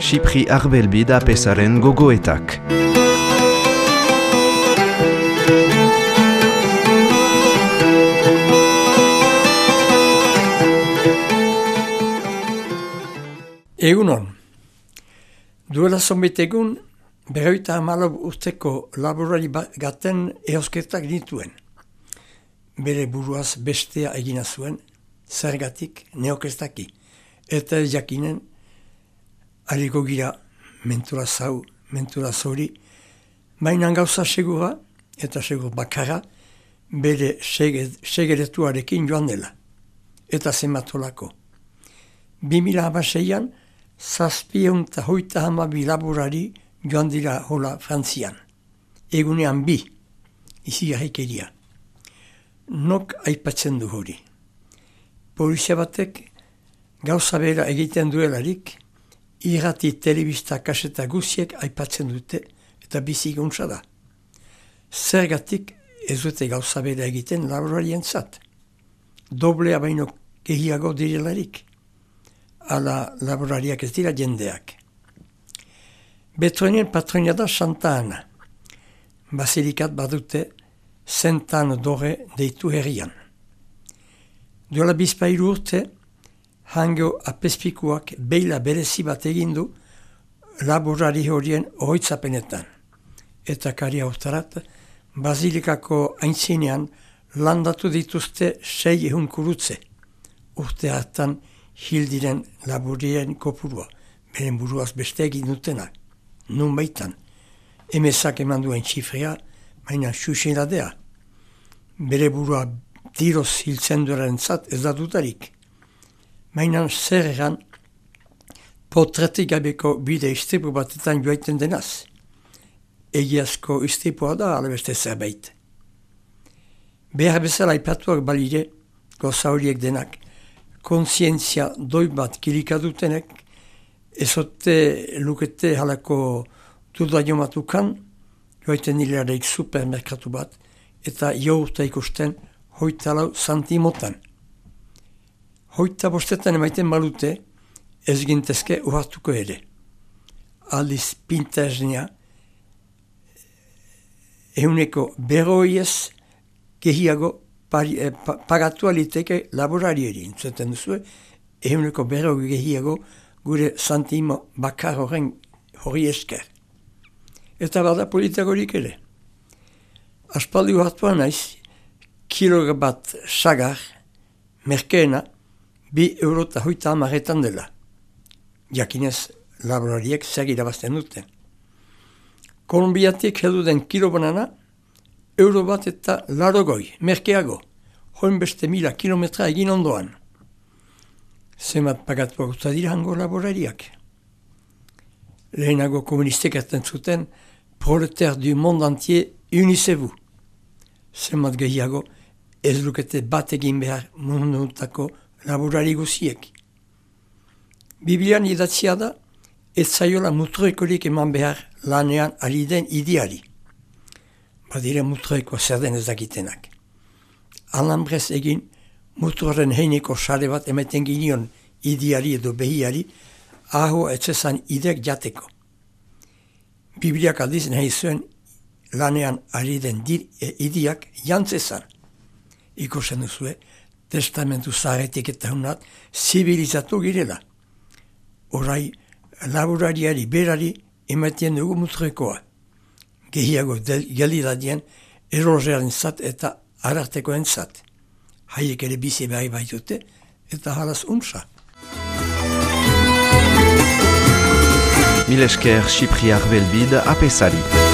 Xipri Arbelbid apesaren gogoetak. Egunon, duela zonbait egun, 54 urteko laborari gaten eosketak dituen. Bere buruaz bestea egina zuen, zergatik neokestaki, eta ez jakinen, hariko gira mentura zau, mentura zori, mainan gauza segura, eta segur bakarra, bere segeretuarekin joan dela, eta zematolako. 2006an, 732 laborari joan dira hola Frantzian. Egunean 2, izigarrikeria. Nok aipatzen du hori. Polizia batek gauza bera egiten duelarik, irrati telebista kaseta guziek aipatzen dute eta bizik untsa da. Zergatik ez dute gauza bera egiten laborarien zat. Doblea baino gehiago direlarik. Ala laborariak ez dira jendeak. Betronien patronia da Santa Ana. Basilikat badute Sant'Anna d'Ore deitu herrian. Duela bizpairu urte, hango apespikuak beila berezi bat egindu laborari horien ohoitzapenetan. Eta kari hautarat, Basilikako aintzinean landatu dituzte 600 kurutze. Urte hartan hildiren laborien kopurua, beren buruaz beste egin dutenak, nun baitan. Emezak eman duen txifrea, baina xuxeladea. Bere burua tiroz hiltzen duaren zat ez da dutarik. Baina zer egan, potretik gabeko bide istripu batetan joaiten denaz. Egiazko istripua da alabeste zerbait. Behar bezala aipatuak balire, goza horiek denak, kontzientzia doi bat kilikadutenek, ezote lukete halako duda jomatukan, joaiten hilareik supermerkatu bat, eta jourta ikusten 24 santimotan. 25 emaiten balute, ez gintezke uhartuko ere. Aldiz pintaznia, euneko 100 gehiago pagatu aliteke laborarieri, entzuten duzue, euneko 100 gehiago gure santimo bakar horren hori esker. Eta bada politagorik ere. Aspaldi hartuan naiz, kilo bat sagar, merkeena, 2,50 € dela. Jakinez, laborariek zer irabazten duten. Kolombiatik heldu den kilo banana, €1,80, merkeago, hoin beste 1000 kilometra egin ondoan. Zemat pagatuak usta dira hango laborariak. Lehenago komunistek erten zuten, prolétaires du monde entier, unissez-vous. Zemat gehiago, ez lukete bat egin behar mundutako laborari guziek. Biblian idatzia da, ez zaiola mutroikorik eman behar lanean ari den ideari. Badire mutroiko zer den ez dakitenak. Alambrez egin, mutroren heineko sare bat ematen ginion ideari edo behiari, aho etzezan idek jateko. Bibliak aldiz nahi zuen lanean ari den ideak jantzezan. Ikusten duzue, testamentu zaharretik eta hunat, zibilizatu girela. Horai, laborariari berari ematen dugu mutroikoa. Gehiago gelidadien erosearen zat eta arartekoen zat. Haiek ere bizi behar baitute eta halaz untsa. Mil esker Xipri Arbelbid apesari.